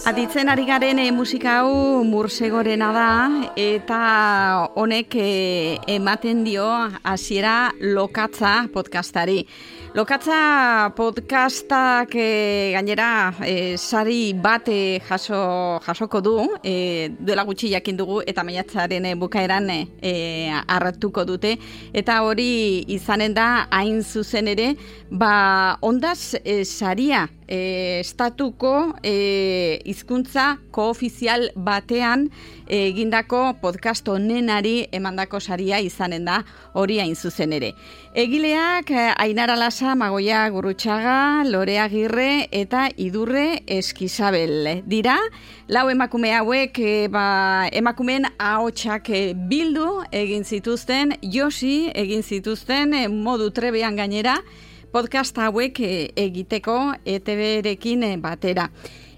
Aditzen ari garen musika hau Mursegorena da eta honek ematen dio hasiera Lokatza podcastari. Lokatza podcastak gainera sari bat jasoko du, duela gutxi jakin dugu eta maiatzaren bukaeran hartuko dute, eta hori izanen da hain zuzen ere, ondaz saria estatuko hizkuntza koofizial batean egindako podcast honenari emandako saria izanen da hori hain zuzen ere. Egileak Ainara Lasa, Magoia Gurrutxaga, Lore Agirre eta Idurre Eskizabel dira. Lau emakume hauek emakumeen ahotsak bildu egin zituzten, josi egin zituzten modu trebean gainera, podcast hauek egiteko ETB-rekin batera.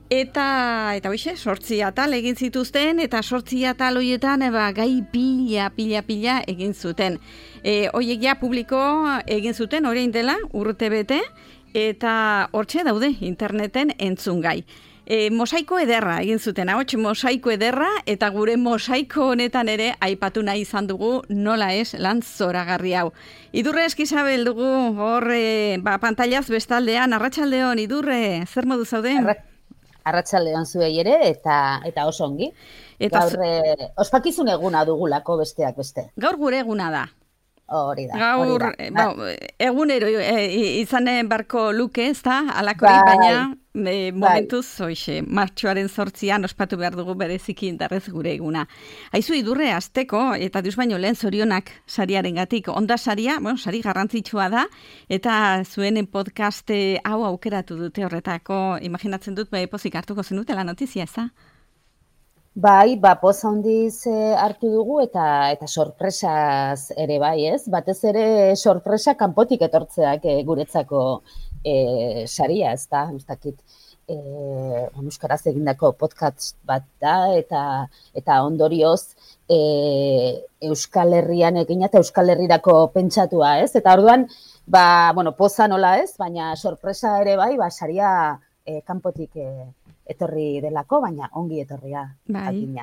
Eta hoize, 8 atal egin zituzten, eta 8 atal horietan gai pila egin zuten. Horiek ja publiko egin zuten orain dela urte bete, eta hortxe daude interneten entzungai. Mosaiko ederra egin zuten, ahots mosaiko ederra, eta gure mosaiko honetan ere aipatu nahi izan dugu nola ez lan zoragarri hau. Idurre Eskizabel dugu hor pantailaz bestaldean. Arratsaldeon, Idurre, zer modu zaude? Arratsaldeon zuei ere eta oso ongi. Gaur ospakizun eguna dugulako besteak beste. Gaur gure eguna da. Hori da. Gaur, egunero izanen barko luke, ez da, alakori, baina momentuz, hoxe, martxoaren 8an ospatu behar dugu bereziki indarrez gure eguna. Aizu, Idurre, azteko, eta dius baino lehen zorionak sariaren gatik, onda saria, sari garrantzitsua da, eta zuen podcast hau aukeratu dute horretako, imaginatzen dut, pozik hartuko zenutela notizia, ez da? Bai, poz handiz hartu dugu eta sorpresaz ere bai, ez? Batez ere sorpresa kanpotik etortzeak guretzako saria, ez da? Ez dakit, euskaraz egindako podcast bat da eta ondorioz Euskal Herrian egina eta Euskal Herrirako pentsatua, ez? Eta orduan, poza nola ez, baina sorpresa ere bai, saria kanpotik etorri delako, baina ongi etorria. Bai.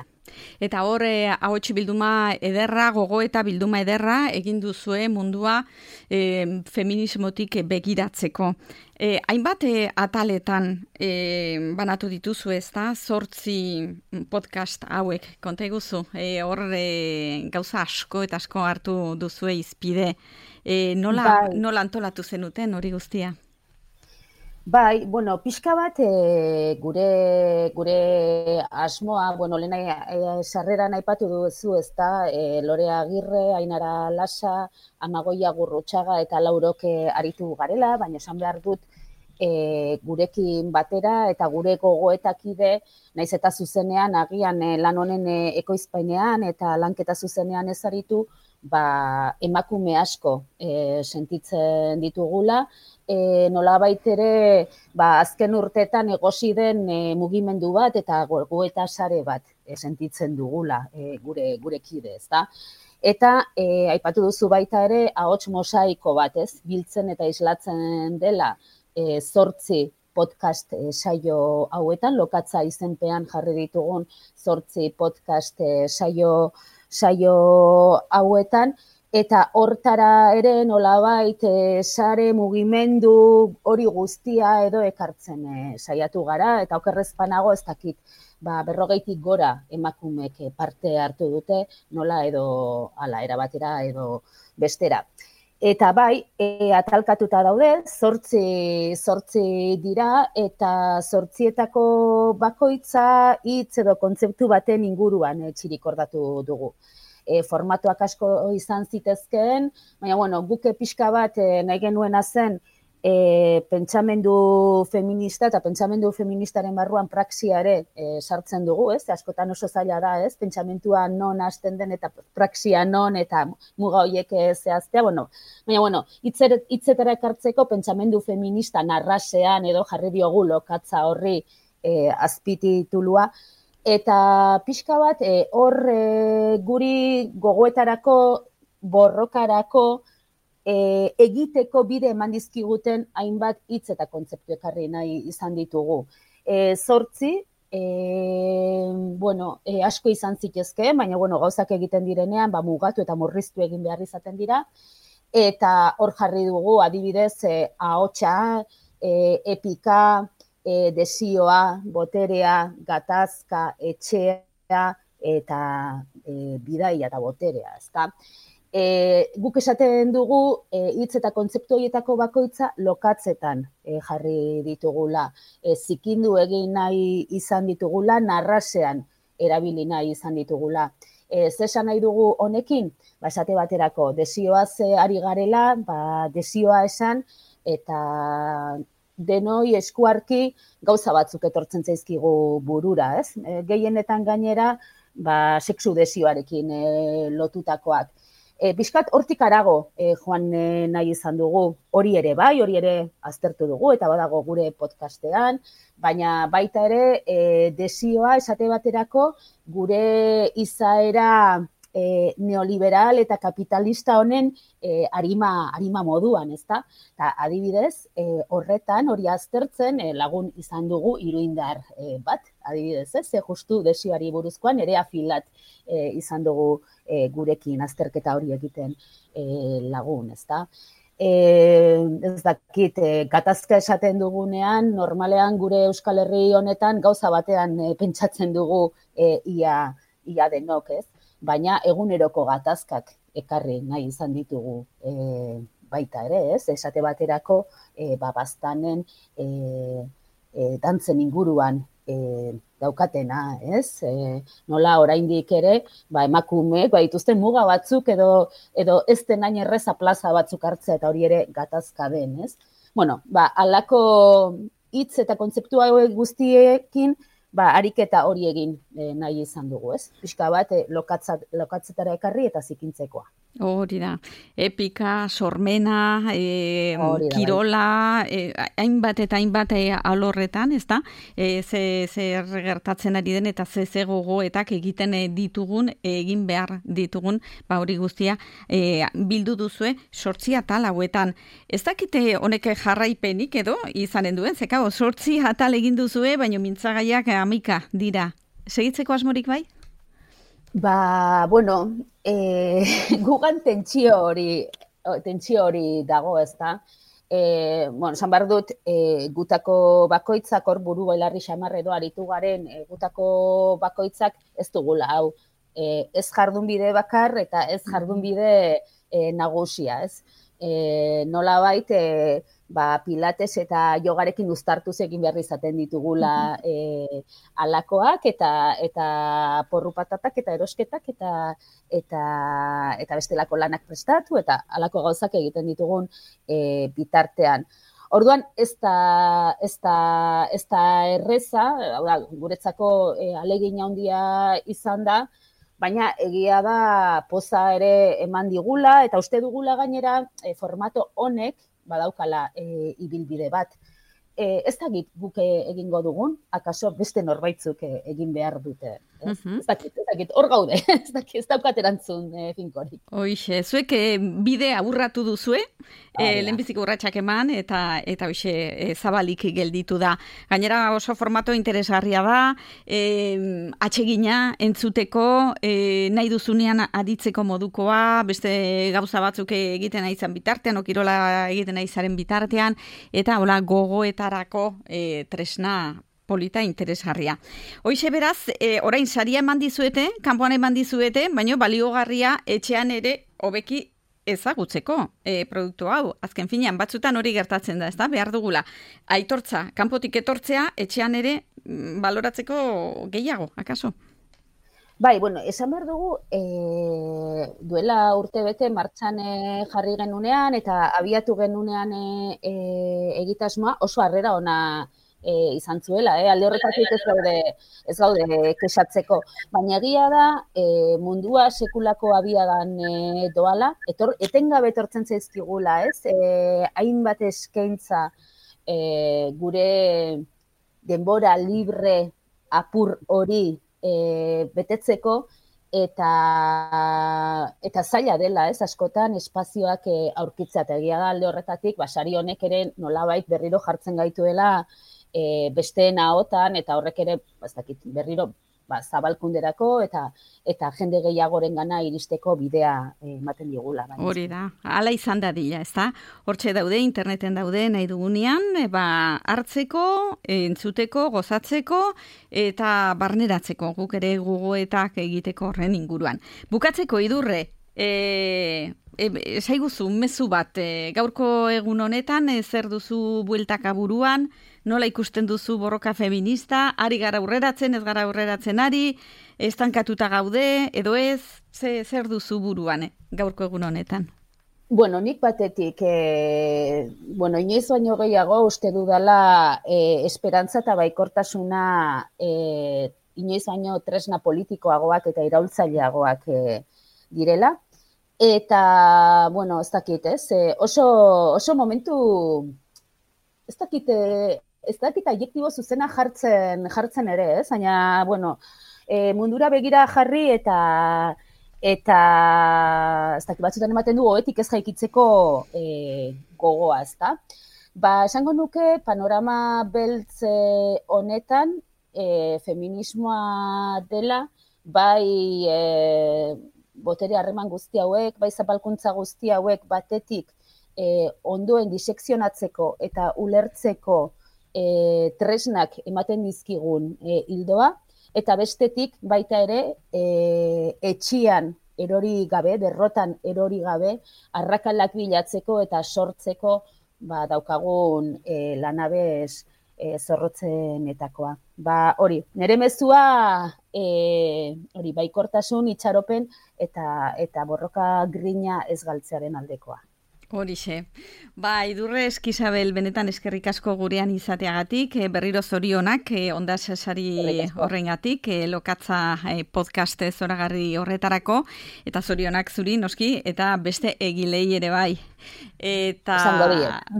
Eta hor, ahots bilduma ederra, gogo eta bilduma ederra egin duzue mundua feminismotik begiratzeko. Hainbat ataletan banatu dituzu, ez da? 8 podcast hauek, konta eguzu. Hor gauza asko eta asko hartu duzue izpide. Nola antolatu zenuten hori guztia? Bai, pixka bat gure asmoa, lehen sarreran aipatu duzu, ez da, Lore Agirre, Ainara Lasa, Amagoia Gurrutxaga eta Laurok aritu garela, baina esan behar dut gurekin batera eta gure gogoetakide, naiz eta zuzenean agian lan honen ekoizpainean eta lanketa zuzenean ez aritu, emakume asko sentitzen ditugula, nolabait ere azken urteetan egosi den mugimendu bat eta gogoeta sare bat sentitzen dugula gure kide, ezta? Eta aipatu duzu baita ere ahots mosaiko bat, ez? Biltzen eta islatzen dela 8 podcast saio hauetan, Lokatza izenpean jarri ditugun 8 podcast saio hauetan, eta hortara ere nolabait sare mugimendu hori guztia edo ekartzen saiatu gara, eta okerrezpanago ez dakit 40 gora emakumek parte hartu dute, nola edo era batera edo bestera. Eta bai, atalkatuta daude, 8 dira, eta 8etako bakoitza hitz edo kontzeptu baten inguruan txirikordatu dugu. Formatuak asko izan zitezkeen, baina guk pixka bat nahi genuena zen pentsamendu feminista eta pentsamendu feministaren barruan praxia ere sartzen dugu, ez? Askotan oso zaila da, ez? Pentsamentua non hasten den eta praxia non eta muga horiek zehaztea, baina hitzetara ekartzeko pentsamendu feminista narrasean edo jarri diogu Lokatza horri azpititulua, eta pixka bat hor guri gogoetarako, borrokarako, egiteko bide eman dizkiguten hainbat hitz eta kontzeptu ekarri nahi izan ditugu. 8 asko izan zitezke, baina gauzak egiten direnean, mugatu eta murriztu egin behar izaten dira. Eta hor jarri dugu, adibidez, ahotsa, epika, desioa, boterea, gatazka, etxea, eta bidaia eta boterea, ezta? Guk esaten dugu, hitz eta kontzeptu horietako bakoitza lokatzetan jarri ditugula. Zikindu egin nahi izan ditugula, narrasean erabili nahi izan ditugula. Zesan nahi dugu honekin? Esate baterako, desioaz ari garela, desioa esan, eta denoi eskuarki gauza batzuk etortzen zaizkigu burura, ez? Gehienetan gainera, sexu desioarekin lotutakoak. Pixkat hortik arago joan nahi izan dugu, hori ere aztertu dugu, eta badago gure podcastean, baina baita ere desioa esate baterako gure izaera neoliberal eta kapitalista honen arima moduan, ezta? Eta adibidez, horretan hori aztertzen lagun izan dugu iruindar bat, adibidez, ez? Justu desioari buruzkoan ere afilat izan dugu gurekin azterketa hori egiten lagun, ezta? Ez dakit, gatazka esaten dugunean, normalean gure Euskal Herri honetan gauza batean pentsatzen dugu ia denok, ez? Baina eguneroko gatazkak ekarri nahi izan ditugu baita ere, ez? Esate baterako baztanen dantzen inguruan daukatena, ez? Nola oraindik ere, emakumeek dituzten muga batzuk edo ez den hain erreza plaza batzuk hartzea eta hori ere gatazka den, ez? Halako hitz eta kontzeptu hauek guztiekin ariketa hori egin nahi izan dugu, ez? Pixka bat lokatzetara ekarri eta zikintzekoa. Hori da, epika, sormena, kirola, hainbat eta hainbat alorretan, ez da? Zer gertatzen ari den eta ze gogoetak egiten ditugun, egin behar ditugun, hori guztia, bildu duzue 8 atal hauetan. Ez dakite honek jarraipenik edo izanen duen, zekao, 8 atal egin duzue, baina mintzagaiak 11 dira. Segitzeko asmorik bai? Gugan tentsio hori dago, ez da. Esan behar dut, gutako bakoitzak, hor buru bailarri xamar edo aritu garen, gutako bakoitzak ez dugula, hau. Ez jardunbide bakar eta ez jardunbide nagusia, ez. Nolabait, pilates eta yogarekin uztartuz egin behar izaten ditugula alakoak eta porru patatak eta erosketak eta bestelako lanak prestatu eta alako gauzak egiten ditugun bitartean. Orduan, ez da erreza, guretzako ahalegin handia izan da, baina egia da poza ere eman digula eta uste dugula gainera formato honek badaukala ibilbide bat. Ez dakit guk egingo dugun, akaso beste norbaitzuk egin behar dute. Ez dakit, hor gaude, ez daukat erantzun finkorik. Hoixe, zuek bide aburratu duzue, lehenbiziko urratsak eman, eta hoixe zabalik gelditu da. Gainera oso formato interesgarria da, atsegina entzuteko, nahi duzunean aditzeko modukoa, beste gauza batzuk egiten nahi zan bitartean, okirola egiten nahi zaren bitartean, eta hola gogoetarako tresna polita interesgarria. Hoixe beraz, orain saria eman dizuete, kanpoan eman dizuete, baina baliogarria etxean ere hobeki ezagutzeko produktu hau. Azken finean, batzutan hori gertatzen da, ezta? Behar dugula. Aitortza, kanpotik etortzea, etxean ere baloratzeko gehiago, akaso? Bai, esan behar dugu, duela urtebete martxan jarri genunean eta abiatu genunean egitasmoa oso harrera ona izan zuela, alde horretatik ez gaude kexatzeko. Baina egia da, mundua sekulako abiadan doala, etengabe etortzen zaizkigula, ez? Hainbat eskaintza gure denbora libre apur hori betetzeko, eta zaila dela, ez, askotan espazioak aurkitzea, eta egia da alde horretatik, sari honek ere nolabait berriro jartzen gaituela besteen ahotan, eta horrek ere, ez dakit, berriro zabalkunderako eta jende gehiagorengana iristeko bidea ematen digula. Hori da, hala izan dadila, ezta? Hortxe daude, interneten daude nahi dugunean, hartzeko, entzuteko, gozatzeko eta barneratzeko, guk ere gogoetak egiteko horren inguruan. Bukatzeko Idurre, esaiguzu mezu bat, gaurko egun honetan, zer duzu bueltaka buruan, nola ikusten duzu borroka feminista, ari gara aurreratzen, ez gara aurreratzen ari, estankatuta gaude, edo ez, zer duzu buruan, gaurko egun honetan? Bueno, nik batetik, inoiz baino gehiago uste dudala esperantza eta baikortasuna inoiz baino tresna politikoagoak eta iraultzaileagoak direla. Eta, bueno, ez dakit, ez? Oso momentu, ez dakit adjektibo zuzena jartzen ere, ez? Baina, bueno, mundura begira jarri eta ez dakit batzutan ematen du oetik ez jaikitzeko gogoa, ez da? Esango nuke panorama beltz honetan feminismoa dela, bai botere harreman guzti hauek, bai zapalkuntza guzti hauek batetik ondoen disekzionatzeko eta ulertzeko tresnak ematen dizkigun hildoa, eta bestetik baita ere etxian erori gabe, derrotan erori gabe, arrakalak bilatzeko eta sortzeko daukagun lanabez zorrotzenetakoa. Hori, nire mezua hori baikortasun, itxaropen eta borroka grina ez galtzearen aldekoa. Horixe. Idurre Eskizabel, benetan eskerrik asko gurean izateagatik, berriro zorionak, Ondas sari horrengatik, Lokatza podcast zoragarri horretarako, eta zorionak zuri, noski, eta beste egilei ere bai. Eta,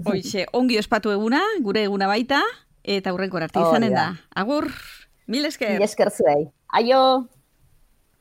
horixe, ongi ospatu eguna, gure eguna baita, eta hurrengo arte izanen da. Agur, mil esker. Mil esker zuei. Aio!